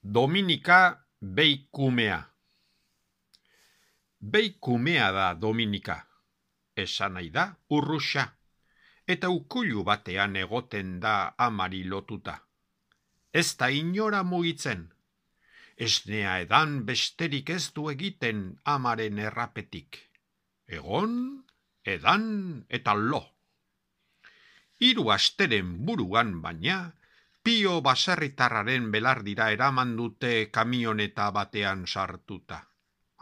Dominika Beikumea. Beikumea da Dominika. Esan nahi da urruxa. Eta ukulu batean egoten da amari lotuta. Ez da inora mugitzen. Esnea edan besterik ez du egiten amaren errapetik. Egon, edan eta lo. 3 asteren buruan baina, Pio baserritarraren belardira eraman dute kamioneta batean sartuta.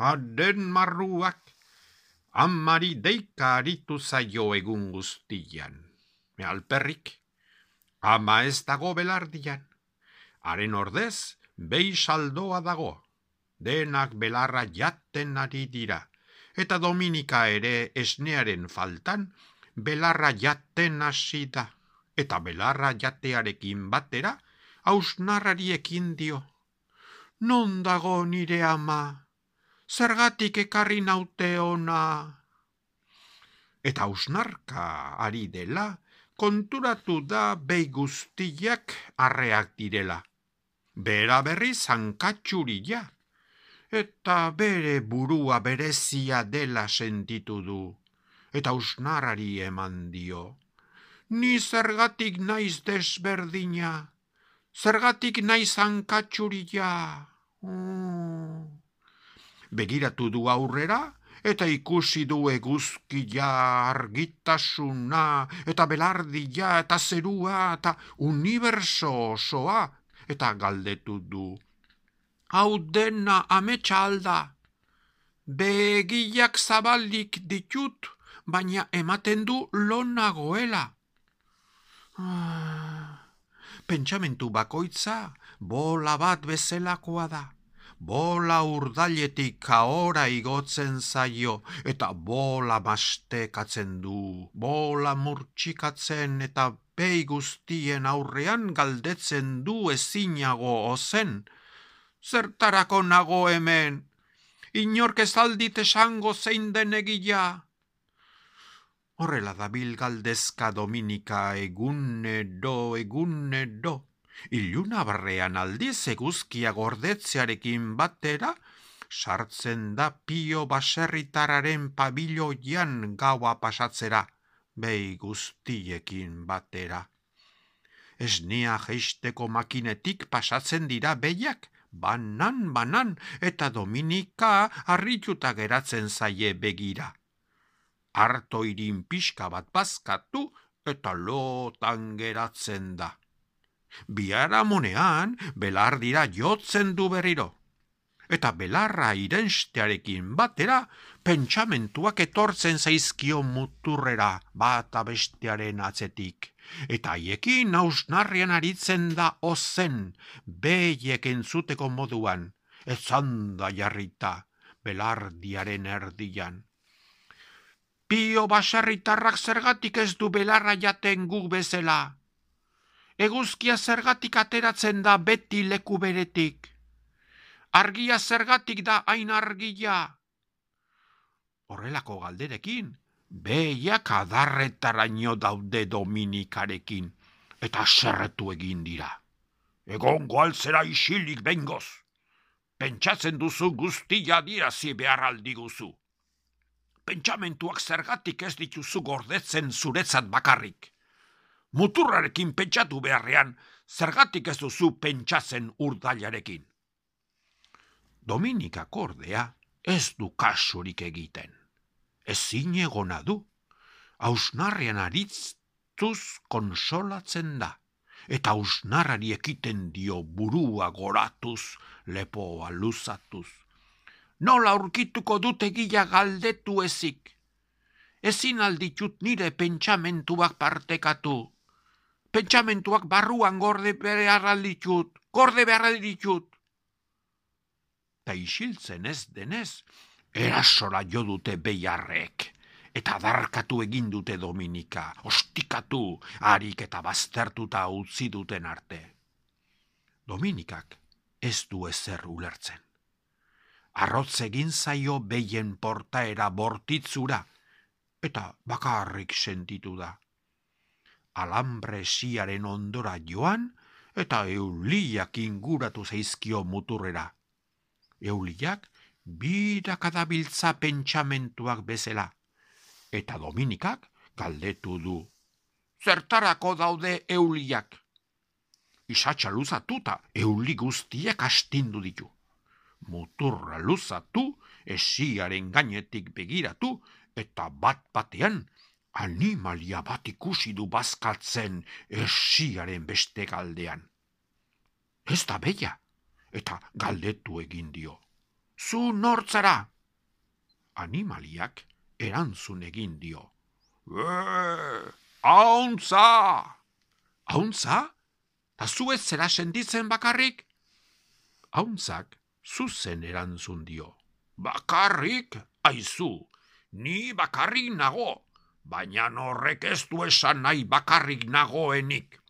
Haren marruak, amari deika aritu zaio egun guztian. Alperrik, ama ez dago belardian. Haren ordez, behi saldoa dago. Denak belarra jaten ari dira. Eta Dominika ere esnearen faltan, belarra jaten hasi da. Eta belarra jatearekin batera, hausnarrari ekin dio. Non dago nire ama? Zergatik ekarri naute ona? Eta hausnarka ari dela, konturatu da behi guztiak arreak direla. Bera berri zankatxurila, eta bere burua berezia dela sentitu du, eta hausnarrari eman dio. Ni zergatik naiz desberdina, zergatik naiz hankatxurila. Begiratu du aurrera, eta ikusi du eguzkia, argitasuna, eta belardia, eta zerua, eta uniberso osoa, eta galdetu du. Hau dena ametsa alda, begiak zabalik ditut, baina ematen du lo nagoela. Pentsamentu bakoitza bola bat bezelakoa da. Bola urdailetik ahora igotzen zaio, eta bola mastekatzen du, bola murtsikatzen eta behi guztien aurrean galdetzen du ezinago ozen. Zertarako nago hemen? Inork ez aldit esango zein den egila? Horrela dabil galdezka Dominika egunero. Iluna barrean aldiz eguzkia gordetzearekin batera, sartzen da Pio baserritarraren pabiloian gaua pasatzera, behi guztiekin batera. Esnea jeisteko makinetik pasatzen dira behiak, banan, eta Dominika harrituta geratzen zaie begira. Artoirin pixka bat bazkatu eta lotan geratzen da. Biharamunean belardira jotzen du berriro. Eta belarra irenstearekin batera, pentsamentuak etortzen zaizkio muturrera bata bestearen atzetik. Eta haiekin hausnarrian aritzen da ozen, behiek entzuteko moduan, etzanda jarrita, belardiaren erdian. Pio baserritarrak zergatik ez du belarra jaten guk bezala. Eguzkia zergatik ateratzen da beti leku beretik. Argia zergatik da hain argia. Horrelako galderekin, behiak adarretaraino daude Dominikarekin, eta serretu egin dira. Egongo altzera isilik bengoz. Pentsatzen duzu guztia dirazi behar aldiguzu. Pentsamentuak zergatik ez dituzu gordetzen zuretzat bakarrik. Muturrarekin pentsatu beharrean, zergatik ez duzu pentsatzen urdailarekin. Dominikak ordea ez du kasurik egiten. Ezin egona du, hausnarrian aritztuz konsolatzen da, eta hausnarrari ekiten dio burua goratuz, lepoa luzatuz. Nola aurkituko dut egila galdetu ezik. Ezin alditut nire pentsamentuak partekatu. Pentsamentuak barruan gorde behar ditut. Ta isiltzen ez denez, erasora jo dute behiarrek, eta darkatu egin dute Dominika, ostikatu, harik eta baztertuta utzi duten arte. Dominikak ez du ezer ulertzen. Arrotz egin zaio behien portaera bortitzura, eta bakarrik sentitu da. Alambre siaren ondora joan, eta Euliak inguratu zaizkio muturrera. Euliak birakadabiltza pentsamentuak bezala, eta Dominikak galdetu du. Zertarako daude Euliak? Isatsa luzatuta euli guztiak astindu ditu. Muturra luzatu, esiaren gainetik begiratu, eta bat-batean animalia bat ikusi du bazkaltzen esiaren beste galdean. Ez da beia, eta galdetu egin dio. Zu nortzara? Animaliak erantzun egin dio. Auntza! Auntza? Ta zu ez zera sentitzen bakarrik? Auntzak zuzen erantzun dio. Bakarrik? Aizu, ni bakarrik nago, baina horrek ez du esan nahi bakarrik nagoenik.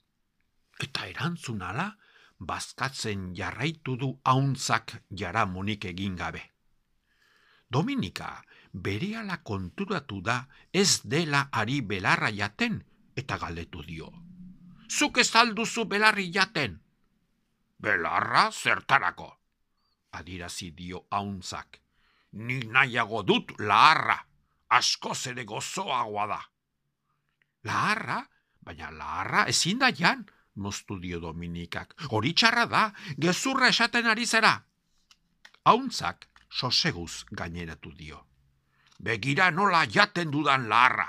Eta erantzun ala, bazkatzen jarraitu du auntzak jaramonik egin gabe. Dominika berehala konturatu da ez dela ari belarra jaten eta galdetu dio. Zuk ez alduzu belarri jaten? Belarra zertarako? Adirazi dio auntzak. Ni nahiago dut laharra, askoz ere gozoagoa da. Laharra? Baina laharra ezin da jan, moztu dio Dominikak. Hori txarra da, gezurra esaten ari zera. Auntzak soseguz gaineratu dio. Begira nola jaten dudan laharra.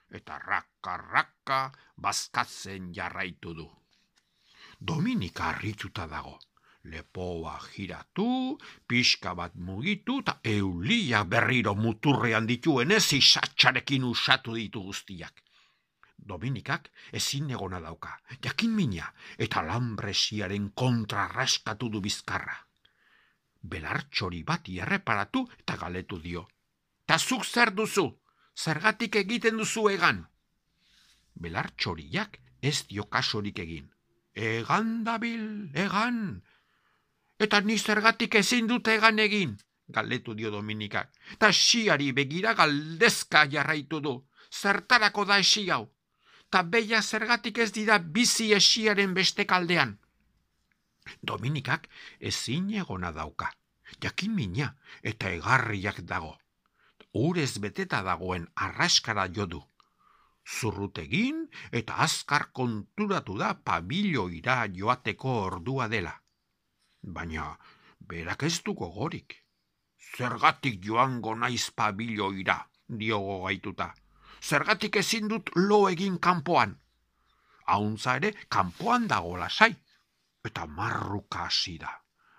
Eta raka-raka bazkatzen jarraitu du. Dominika harrituta dago. Lepoa jiratu, pixka bat mugitu, eta Eulia berriro muturrean dituenez isatsarekin usatu ditu guztiak. Dominikak ezin egona dauka, jakin mina, eta lambresiaren kontra raskatu du bizkarra. Belartxori bati erreparatu eta galetu dio. Ta zuk zer duzu? Zergatik egiten duzu egan? Belartxoriak ez dio kasorik egin. Egan dabil, egan. Eta ni zergatik ezin dute egan egin, galdetu dio Dominikak. Ta esiari begira galdezka jarraitu du. Zertarako da esi hau? Ta beia zergatik ez dira bizi esiaren beste kaldean. Dominikak ezin egona dauka. Jakin mina eta egarriak dago. Urez beteta dagoen arraskara jo du. Zurrutegin eta azkar konturatu da pabiloira joateko ordua dela. Baina berak ez du gogorik. Zergatik joango naiz pabiloira, dio gogaituta. Zergatik ezin dut lo egin kanpoan. Auntza ere kanpoan dago lasai. Eta marruka hasi da.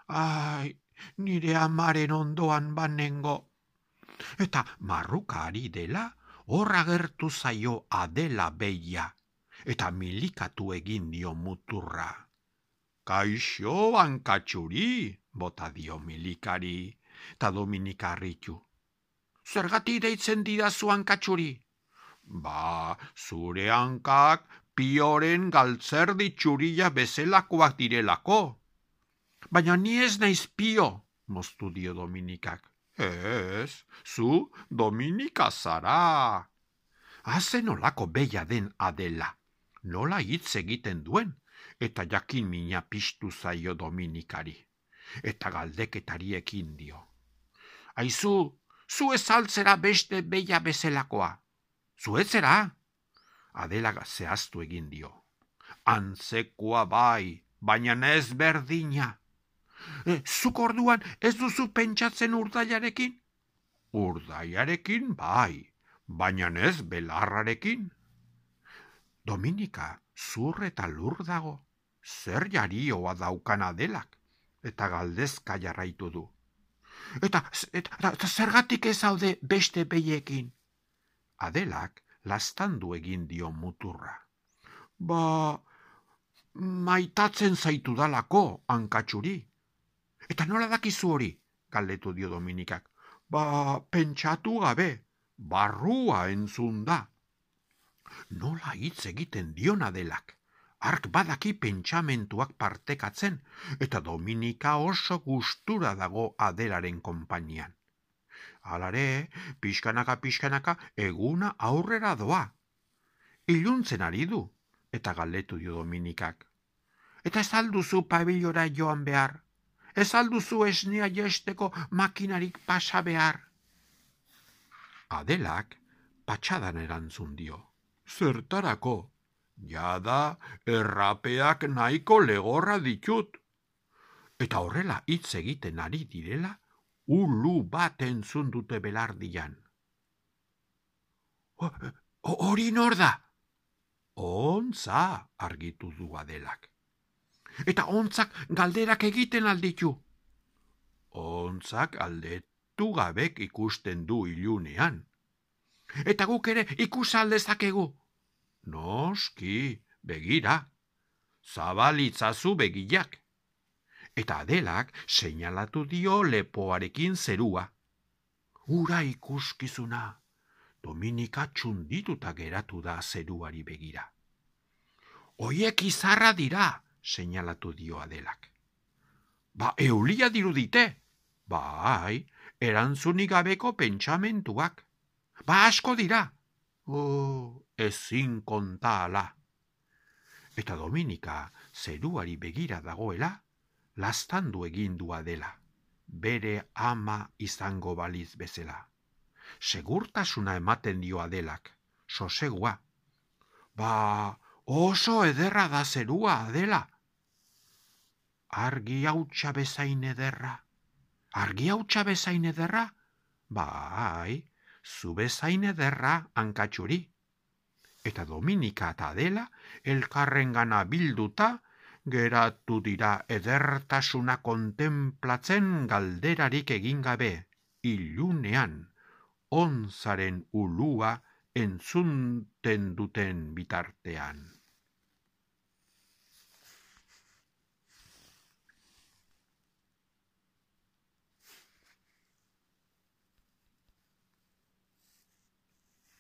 Ai, nire amaren ondoan banengo. Eta marruka ari dela, hor agertu zaio Adela beia, eta milikatu egin dio muturra. Kaixo, hankatxuri, bota dio milikari, eta Dominika harritu. Zergatik deitzen didazu hankatxuri? Ba, zure hankak Pioren galtzerdi txurila bezelakoak direlako. Baina ni ez naiz Pio, moztu dio Dominikak. Ez, zu Dominika zara. Haze nolako beia den Adela, nola hitz egiten duen, eta jakin mina piztu zaio Dominikari, eta galdeketariekin dio. Aizu, zu ez altzera beste beia bezelakoa. Zu ez zera? Adela zehaztu egin dio. Antzekoa bai, baina ez berdina. Zuk orduan ez duzu pentsatzen urdaiarekin? Urdaiarekin bai, baina ez belarrarekin. Dominika zur eta lur dago, zer jarioa daukan Adelak, eta galdezka jarraitu du. Eta zergatik ez haude beste beiekin? Adelak lastandu egin dio muturra. Ba, maitatzen zaitu dalako, hankatxuri. Eta nola dakizu hori, galdetu dio Dominikak. Ba, pentsatu gabe, barrua entzun da. Nola hitz egiten dion Adelak, hark badaki pentsamentuak partekatzen, eta Dominika oso gustura dago Adelaren konpainian. Halare, pixkanaka eguna aurrera doa. Iluntzen ari du, eta galdetu dio Dominikak. Eta ez alduzu pabilora joan behar. Ez alduzu esnea jesteko makinarik pasa behar. Adelak patxadan erantzun dio. Zertarako, jada errapeak nahiko legorra ditut. Eta horrela hitz egiten ari direla, ulu bat entzun dute belardian. Hori nor da? Ontza, argitu du Adelak. Eta ontzak galderak egiten alditu. Ontzak aldetu gabek ikusten du ilunean. Eta guk ere ikusaldezakegu. Noski, begira. Zabalitzazu begiak. Eta Adelak seinalatu dio lepoarekin zerua. Ura ikuskizuna. Dominika txundituta geratu da zeruari begira. Oiek izarra dira, seinalatu dio Adelak. Ba, eulia dirudite. Bai, erantzunik gabeko pentsamentuak. Ba, asko dira. Ezin konta ala. Eta Dominika zeruari begira dagoela, laztandu egin du Adela, bere ama izango baliz bezala. Segurtasuna ematen dio Adelak, sosegua. Ba, oso ederra da zerua, Adela. Argi hautsa bezain ederra. Argi hautsa bezain ederra? Bai, zu bezain ederra hankatxuri. Eta Dominika eta Adela elkarrengana bilduta geratu dira edertasuna kontemplatzen galderarik egin gabe, ilunean, ontzaren ulua entzunten duten bitartean.